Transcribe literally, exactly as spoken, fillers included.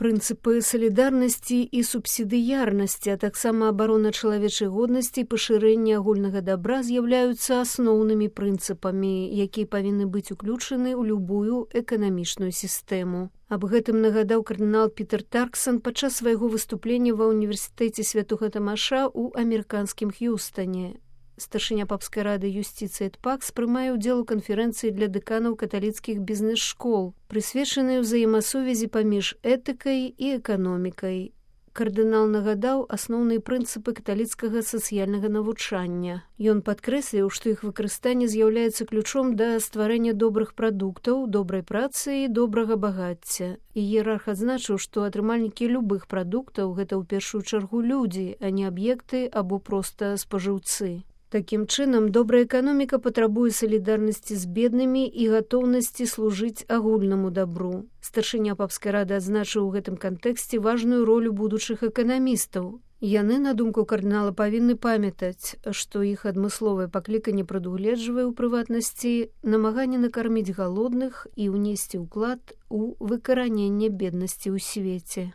Прынцыпы салідарнасці і субсідыярнасці, а таксама абарона чалавечай годнасці і пашырэння агульнага дабра з'яўляюцца асноўнымі прынцыпамі, якія павінны быць уключаны ў любую эканамічную сістэму. Аб гэтым нагадаў кардынал Пітер Тарксон падчас свайго выступлення ва ўніверсітэце Святога Тамаша ў амерыканскім Х'юстане. Старшыня папскай рады юстыцыі ЭДПАКС прымае ўдзел у канферэнцыі для дэканаў каталіцкіх бізнес-школ, прысвечанай узаемасувязі паміж этыкай і эканомікай. Кардынал нагадаў асноўныя прынцыпы каталіцкага сацыяльнага навучання. Ён падкрэсліў, што іх выкарыстанне з'яўляецца ключом да стварэння добрых прадуктаў, добрай працы і добрага багацця. Іерарх адзначыў, што атрымальнікі любых прадуктаў гэта ў першую чаргу людзі, а не аб'екты або проста спажыўцы. Такім чынам, добрая эканоміка патрабуе салідарнасці з беднымі і гатоўнасці служыць агульнаму дабру. Старшыня папскай рады адзначыў у гэтым кантэксце важную ролю будучых эканамістаў. Яны, на думку кардынала, павінны памятаць, што іх адмысловае пакліканне прадугледжвае ў прыватнасці намаганне накарміць галодных і ўнесці ўклад у выкараненне беднасці ў свеце.